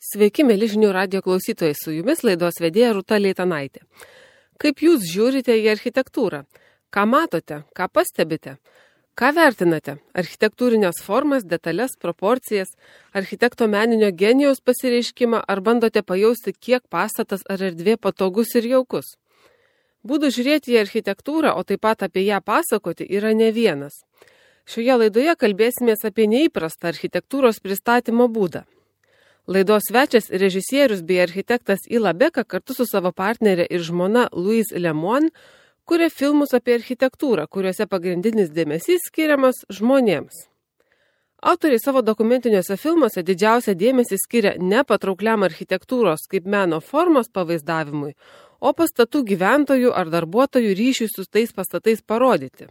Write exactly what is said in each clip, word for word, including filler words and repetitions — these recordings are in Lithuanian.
Sveiki, mėly žinių radijo klausytojai, su jumis laidos vedėja Rūta Leitanaitė. Kaip jūs žiūrite į architektūrą? Ką matote? Ką pastebite? Ką vertinate? Architektūrinės formas, detalės, proporcijas, architekto meninio genijaus pasireiškimą, ar bandote pajausti, kiek pastatas ar erdvė patogus ir jaukus? Būdų žiūrėti į architektūrą, o taip pat apie ją pasakoti, yra ne vienas. Šioje laidoje kalbėsimės apie neįprastą architektūros pristatymo būdą. Laidos svečias režisierius bei architektas Ila Beka kartu su savo partnerė ir žmona Louise Lemoine kuria filmus apie architektūrą, kuriuose pagrindinis dėmesys skiriamas žmonėms. Autoriai savo dokumentiniuose filmuose didžiausią dėmesį skiria ne patraukliam architektūros kaip meno formos pavaizdavimui, o pastatų gyventojų ar darbuotojų ryšiui su tais pastatais parodyti.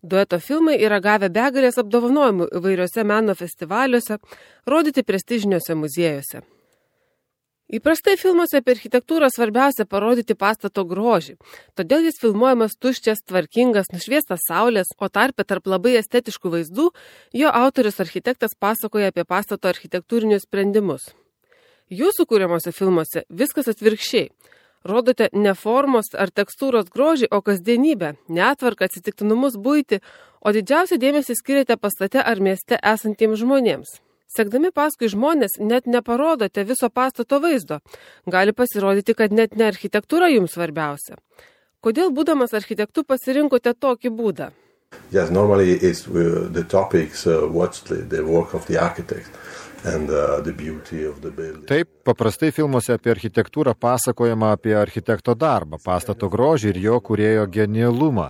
Dueto filmai yra gavę begalės apdovanojimų įvairiuose meno festivaliuose, rodyti prestižiniuose muziejuose. Įprastai filmuose apie architektūrą svarbiausia parodyti pastato grožį, todėl jis filmuojamas tuščias, tvarkingas, nušviestas saulės, o tarpe tarp labai estetiškų vaizdų jo autorius architektas pasakoja apie pastato architektūrinius sprendimus. Jūsų kūriamuose filmuose viskas atvirkščiai. Rodote ne formos ar tekstūros grožį, o kasdienybę, netvarką, atsitiktinumus buitį, o didžiausią dėmesį skiriate pastate ar mieste esantiems žmonėms. Sekdami paskui žmonės net neparodote viso pastato vaizdo. Gali pasirodyti, kad net ne architektūra jums svarbiausia. Kodėl būdamas architektu pasirinkote tokį būdą? Yes, normally is uh, the topics uh, what's the, the work of the architect. And, uh, the beauty of the building. Taip, paprastai filmuose apie architektūrą pasakojama apie architekto darbą, pastato grožį ir jo kūrėjo genialumą.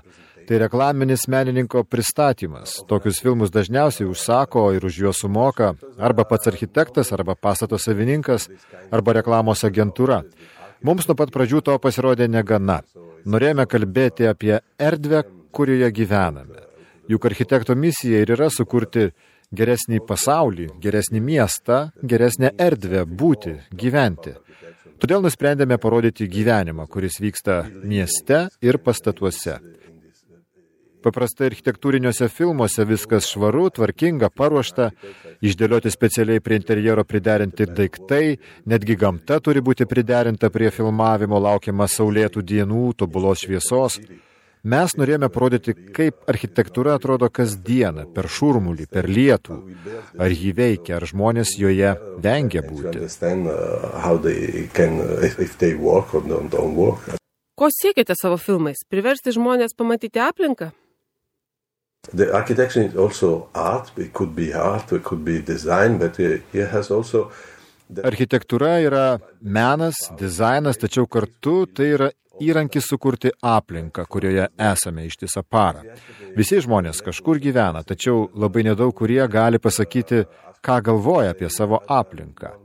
Tai reklaminis menininko pristatymas. Tokius filmus dažniausiai užsako ir už juos sumoka arba pats architektas, arba pastato savininkas, arba reklamos agentūra. Mums nuo pat pradžių to pasirodė negana. Norėjome kalbėti apie erdvę, kurioje gyvename. Juk architekto misija ir yra sukurti geresnį pasaulį, geresnį miestą, geresnę erdvę būti, gyventi. Todėl nusprendėme parodyti gyvenimą, kuris vyksta mieste ir pastatuose. Paprastai architektūriniuose filmuose viskas švaru, tvarkinga, paruošta, išdėlioti specialiai prie interjero priderinti daiktai, netgi gamta turi būti priderinta prie filmavimo, laukiama saulėtų dienų, tobulos šviesos. Mes norėjome parodyti, kaip architektūra atrodo kasdieną, per šurmulį, per lietų, ar jį veikia, ar žmonės joje vengia būti. Ko siekite savo filmais? Priversti žmonės pamatyti aplinką? The architecture is also art, it could be art, it could be design, but it has also... Architektūra yra menas, dizainas, tačiau kartu tai yra įrankis sukurti aplinką, kurioje esame ištisą parą. Visi žmonės kažkur gyvena, tačiau labai nedaug kurie gali pasakyti, ką galvoja apie savo aplinką.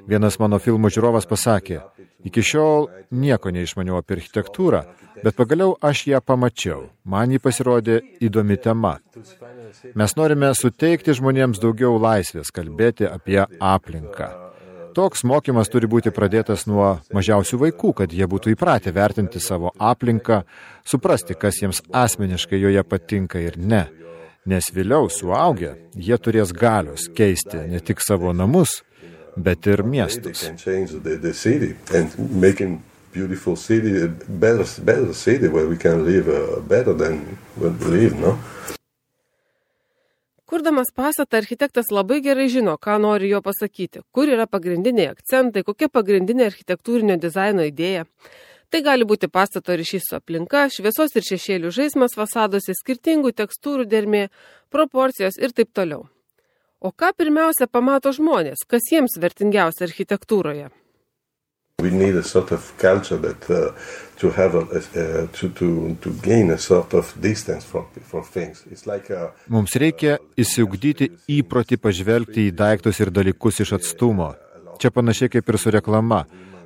Vienas mano filmų žiūrovas pasakė, iki šiol nieko neišmaniau apie architektūrą, bet pagaliau aš ją pamačiau. Man ji pasirodė įdomi tema. Mes norime suteikti žmonėms daugiau laisvės kalbėti apie aplinką. Toks mokymas turi būti pradėtas nuo mažiausių vaikų, kad jie būtų įpratę vertinti savo aplinką, suprasti, kas jiems asmeniškai joje patinka ir ne. Nes vėliau suaugę, jie turės galios keisti ne tik savo namus, bet ir miestus. Kurdamas pastatą, architektas labai gerai žino, ką nori jo pasakyti, kur yra pagrindiniai akcentai, kokia pagrindinė architektūrinio dizaino idėja. Tai gali būti pastato ryšys su aplinka, šviesos ir šešėlių žaismas fasaduose, skirtingų tekstūrų dermė, proporcijos ir taip toliau. O ką pirmiausia pamato žmonės, kas jiems vertingiausia architektūroje? We need a sort of culture that uh, to have a, uh, to to to gain a sort of distance from from things. It's like a Mums reikia įsiugdyti įprotį pažvelgti į daiktus ir dalykus iš atstumo. Čia panašiai kaip ir su reklama.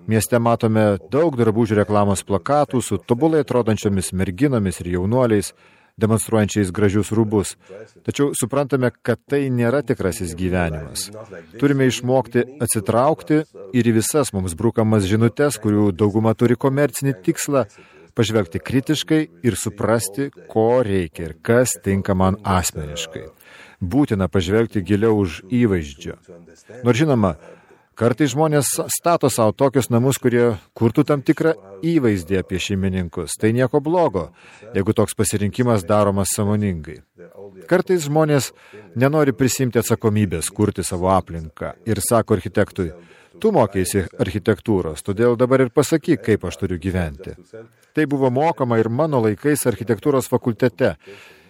Mieste matome daug drabužių reklamos plakatų su tobulai atrodančiomis merginomis ir jaunuoliais, demonstruojančiais gražius rūbus. Tačiau suprantame, kad tai nėra tikrasis gyvenimas. Turime išmokti atsitraukti ir į visas mums brukamas žinutes, kurių dauguma turi komercinį tikslą, pažvelgti kritiškai ir suprasti, ko reikia ir kas tinka man asmeniškai. Būtina pažvelgti giliau už įvaizdžio. Nors žinoma, Kartais žmonės stato savo tokius namus, kurie kurtų tam tikrą įvaizdį apie šeimininkus. Tai nieko blogo, jeigu toks pasirinkimas daromas sąmoningai. Kartais žmonės nenori prisimti atsakomybės, kurti savo aplinką ir sako architektui, tu mokėsi architektūros, todėl dabar ir pasakyk, kaip aš turiu gyventi. Tai buvo mokama ir mano laikais architektūros fakultete.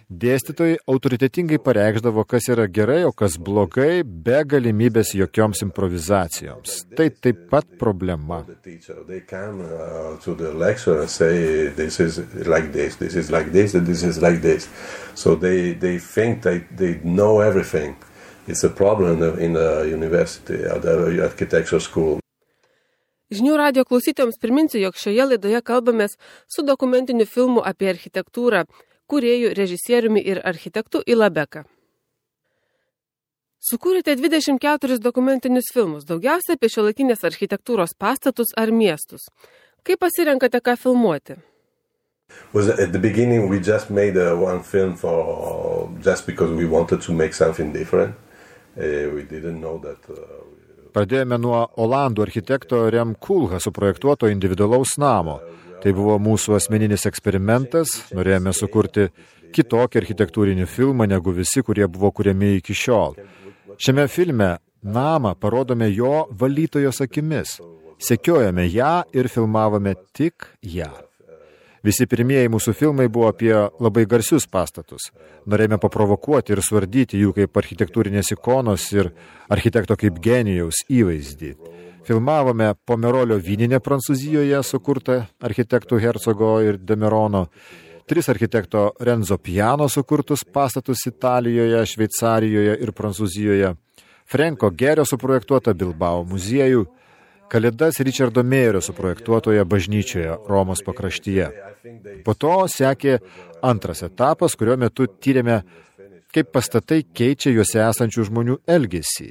Dėstytojai autoritetingai pareikšdavo, kas yra gerai, o kas blogai, be galimybės jokioms improvizacijoms. Tai taip pat problema. Žinių radijo klausytojams priminsiu, jog šioje laidoje kalbamės su dokumentiniu filmu apie architektūrą, kūrėjų, režisieriumi ir architektu Ila Beka. Sukūrėte dvidešimt keturis dokumentinius filmus, daugiausia apie šiuolaikinės architektūros pastatus ar miestus. Kaip pasirenkate, ką filmuoti? Was at the beginning we just made a one film for just because we wanted to make something different. Uh, we didn't know that uh, Pradėjome nuo olandų architekto Rem Koolhaas suprojektuoto individualaus namo. Tai buvo mūsų asmeninis eksperimentas, norėjome sukurti kitokį architektūrinį filmą negu visi, kurie buvo kuriami iki šiol. Šiame filme namą parodome jo valytojos akimis, sekiojame ją ir filmavome tik ją. Visi pirmieji mūsų filmai buvo apie labai garsius pastatus. Norėjome paprovokuoti ir suardyti jų kaip architektūrinės ikonos ir architekto kaip genijaus įvaizdį. Filmavome Pomerolio vyninę Prancūzijoje, sukurtą architektų Hercogo ir Demerono, tris architekto Renzo Piano sukurtus pastatus Italijoje, Šveicarijoje ir Prancūzijoje, Franko Gerio suprojektuotą Bilbao muziejų, Kalėdas Richardo Meirio suprojektuotoje bažnyčioje Romos pakraštyje. Po to sekė antras etapas, kurio metu tyrėme, kaip pastatai keičia juose esančių žmonių elgesį.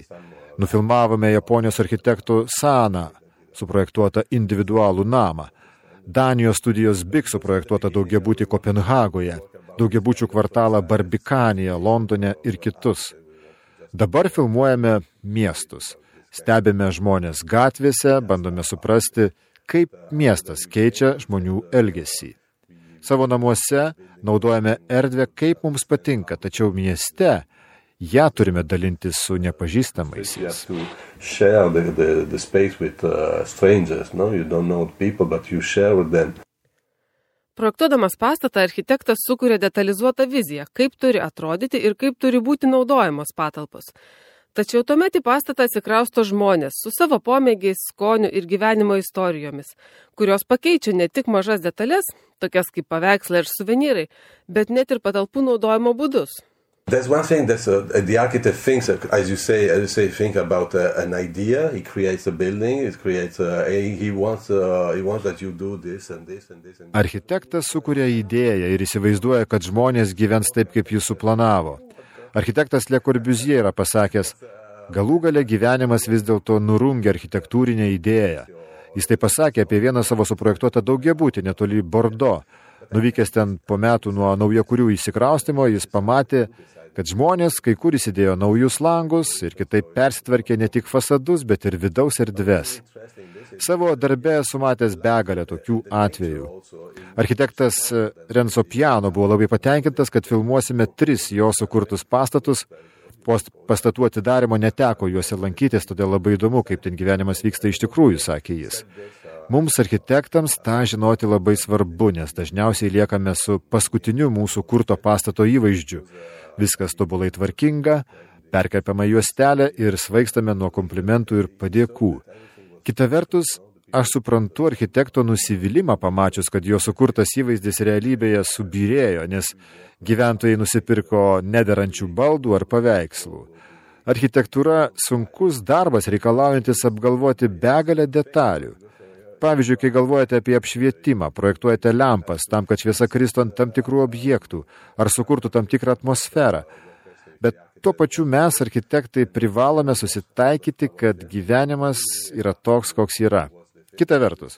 Nufilmavome Japonijos architektų Sana suprojektuotą individualų namą, Danijos studijos Big suprojektuotą daugiabutį Kopenhagoje, daugiabučių kvartalą Barbikanėje, Londone ir kitus. Dabar filmuojame miestus. Stebime žmonės gatvėse, bandome suprasti, kaip miestas keičia žmonių elgesį. Savo namuose naudojame erdvę, kaip mums patinka, tačiau mieste ją turime dalintis su nepažįstamaisiais. Projektuodamas pastatą, architektas sukuria detalizuotą viziją, kaip turi atrodyti ir kaip turi būti naudojamos patalpos. Tačiau tuomet į pastatą atsikrausto žmonės su savo pomėgiais, skoniu ir gyvenimo istorijomis, kurios pakeičia ne tik mažas detalės, tokias kaip paveikslai ir suvenyrai, bet net ir patalpų naudojimo būdus. There's one thing that uh, the architect thinks, as you say, as you say, think about uh, an idea. He creates a building. It creates. Uh, he wants. Uh, he wants that you do this and this and this. And this. Architektas sukuria idėją ir įsivaizduoja, kad žmonės gyvens taip, kaip jis suplanavo. Architektas Le Corbusier yra pasakęs, galų gale gyvenimas vis dėlto nurungia architektūrinę idėją. Jis tai pasakė apie vieną savo suprojektuotą daugiabutį netoli Bordo. Nuvykęs ten po metų nuo naujakurių įsikraustimo, jis pamatė, kad žmonės kai kur įsidėjo naujus langus ir kitaip persitvarkė ne tik fasadus, bet ir vidaus erdves. Savo darbe esu matęs begalę tokių atvejų. Architektas Renzo Piano buvo labai patenkintas, kad filmuosime tris jo sukurtus pastatus. Po pastatų atidarimo neteko juose lankytis, todėl labai įdomu, kaip ten gyvenimas vyksta iš tikrųjų, sakė jis. Mums architektams tą žinoti labai svarbu, nes dažniausiai liekame su paskutiniu mūsų kurto pastato įvaizdžiu. Viskas tobulai tvarkinga, perkerpama juostelė ir svaigstame nuo komplimentų ir padėkų. Kita vertus, aš suprantu architekto nusivylimą pamačius, kad jo sukurtas įvaizdis realybėje subyrėjo, nes gyventojai nusipirko nederančių baldų ar paveikslų. Architektūra sunkus darbas reikalaujantis apgalvoti begalę detalių. Pavyzdžiui, kai galvojate apie apšvietimą, projektuojate lempas tam, kad šviesa kristų ant tam tikrų objektų ar sukurtų tam tikrą atmosferą. Bet tuo pačiu mes, architektai, privalome susitaikyti, kad gyvenimas yra toks, koks yra. Kita vertus,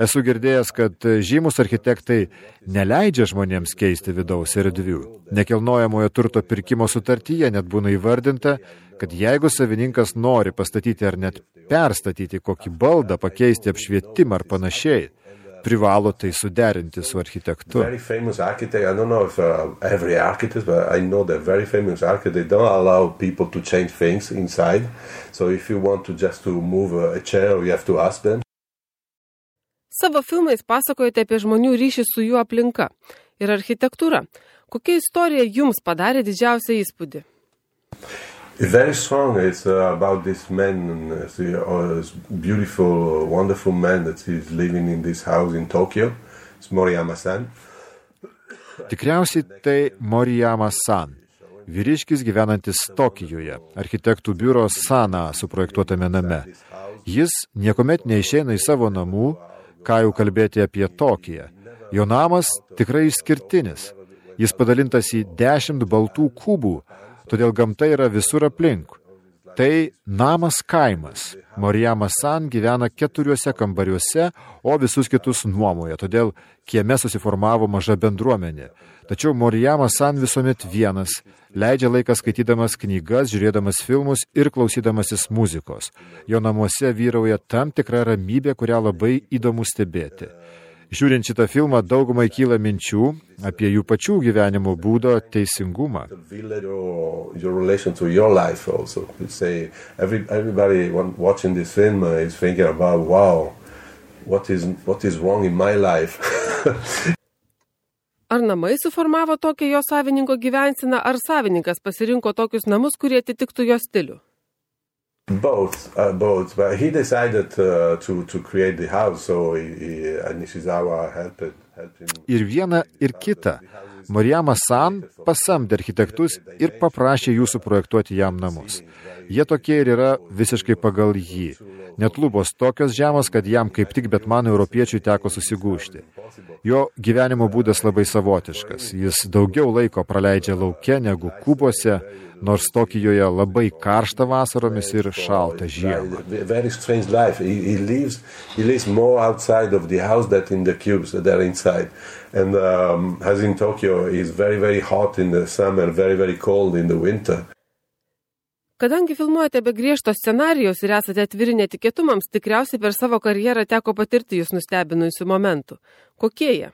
Esu girdėjęs, kad žymus architektai neleidžia žmonėms keisti vidaus erdvių. Nekilnojamojo turto pirkimo sutartyje net būna įvardinta, kad jeigu savininkas nori pastatyti ar net perstatyti kokį baldą, pakeisti apšvietimą ar panašiai, privalo tai suderinti su architektu. Very famous architect, I don't know if uh, every architect, but I know that very famous architect, they don't allow people to change things inside. So if you want to just to move a chair, you have to ask them. Savo filmais pasakojate apie žmonių ryšį su jų aplinka ir architektūra. Kokia istorija jums padarė didžiausią įspūdį? Very strong. It's uh, about this man, uh, uh, this beautiful, wonderful man that is living in this house in Tokyo. It's Moriyama-san. Tikriausiai tai Moriyama-san, vyriškis gyvenantis Tokijoje, architektų biuro Sana suprojektuotame name. Jis niekuomet neišeina į savo namų, ką jau kalbėti apie Tokiją. Jo namas tikrai išskirtinis. Jis padalintas į dešimt baltų kubų, todėl gamta yra visur aplink. Tai namas kaimas. Moriyama-san gyvena keturiuose kambariuose, o visus kitus nuomoja, todėl kieme susiformavo maža bendruomenė. Tačiau Moriyama-san visuomet vienas, leidžia laiką skaitydamas knygas, žiūrėdamas filmus ir klausydamasis muzikos. Jo namuose vyrauja tam tikra ramybė, kurią labai įdomu stebėti. Žiūrint šitą filmą, daugumai kyla minčių apie jų pačių gyvenimo būdo teisingumą. Your relation to your life also. Say every everybody watching this film is thinking about wow, what is what is wrong in my life. Ar namai suformavo tokią jo savininko gyvenseną, ar savininkas pasirinko tokius namus, kurie atitiktų jo stilių? Both, uh, both. But he decided uh, to to create the house, so he, he, and Nishizawa helped, helped him. Ir viena, ir kita. Moriyama-san pasamdė architektus ir paprašė jų suprojektuoti jam namus. Jie tokie ir yra visiškai pagal jį. Net lubos tokios žemos, kad jam kaip tik Betmano europiečiui teko susigūžti. Jo gyvenimo būdas labai savotiškas. Jis daugiau laiko praleidžia lauke negu kubuose, nors Tokijoje labai karšta vasaromis ir šalta žiemą. Very strange life. He, he lives he lives more outside of the house than in the cubes that are inside. And um, as in Tokyo, it's very very hot in the summer, very very cold in the winter. Kadangi filmuojate be griežto scenarijos ir esate atviri netikėtumams, tikriausiai per savo karjerą teko patirti jūs nustebinusių momentų. Kokie jie?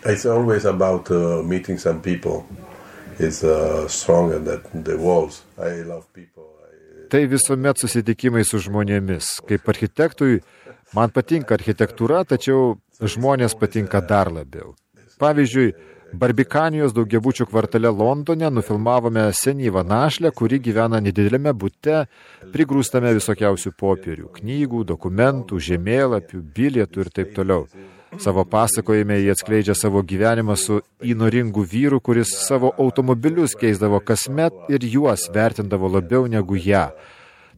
It's always about uh, meeting some people. It's uh, stronger than the walls. I love people. I... Tai visuomet susitikimai su žmonėmis. Kaip architektui, man patinka architektūra, tačiau žmonės patinka dar labiau. Pavyzdžiui, Barbikanijos daugiabučių kvartale Londone nufilmavome senyvą našlę, kuri gyvena nedidelėme bute, prigrūstame visokiausių popierių, knygų, dokumentų, žemėlapių, bilietų ir taip toliau. Savo pasakojime jie atskleidžia savo gyvenimą su įnoringu vyru, kuris savo automobilius keisdavo kasmet ir juos vertindavo labiau negu ją.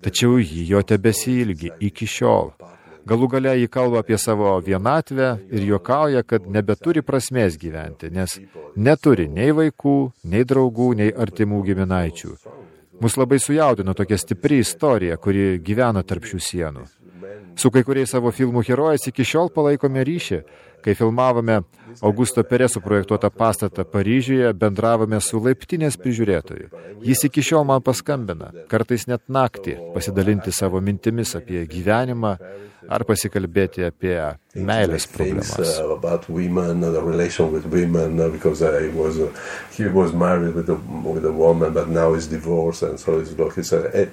Tačiau jį jo tebesiilgi iki šiol. Galų gale jį kalba apie savo vienatvę ir juokauja, kad nebeturi prasmės gyventi, nes neturi nei vaikų, nei draugų, nei artimų giminaičių. Mus labai sujaudino tokia stipri istorija, kuri gyvena tarp šių sienų. Su kai kuriais savo filmų herojais iki šiol palaikome ryšį. Kai filmavome Augusto Pereso projektuotą pastatą Paryžiuje, bendravome su laiptinės prižiūrėtoju. Jis iki šiol man paskambina, kartais net naktį, pasidalinti savo mintimis apie gyvenimą ar pasikalbėti apie meilės problemas. About women, the relation with women, because I was, he was married with a, with a woman, but now he's divorced, and so it's like it's a...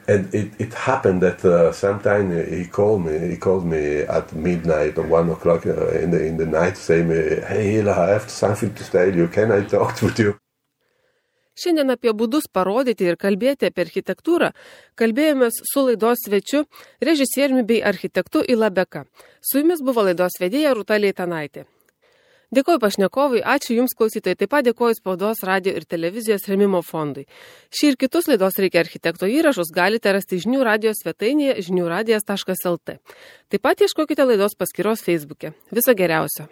And it, it happened that uh, sometime he called me. He called me at midnight or one o'clock uh, in the in the night, saying, "Hey, Hila, I have something to tell you. Can I talk with you?" Šiandien apie būdus parodyti ir kalbėti apie architektūrą kalbėjomės su laidos svečiu, režisieriumi bei architektu Ila Beka. Su jumis buvo laidos vedėja Rūta Leitanaitė. Dėkoju pašnekovui, ačiū Jums klausytojai, taip pat dėkoju Spaudos, radio ir televizijos rėmimo fondui. Šį ir kitus laidos Reikia architekto įrašus galite rasti žinių radijos svetainėje žinių radijas taškas el tė. Taip pat ieškokite laidos paskyros Facebook'e. Viso geriausio.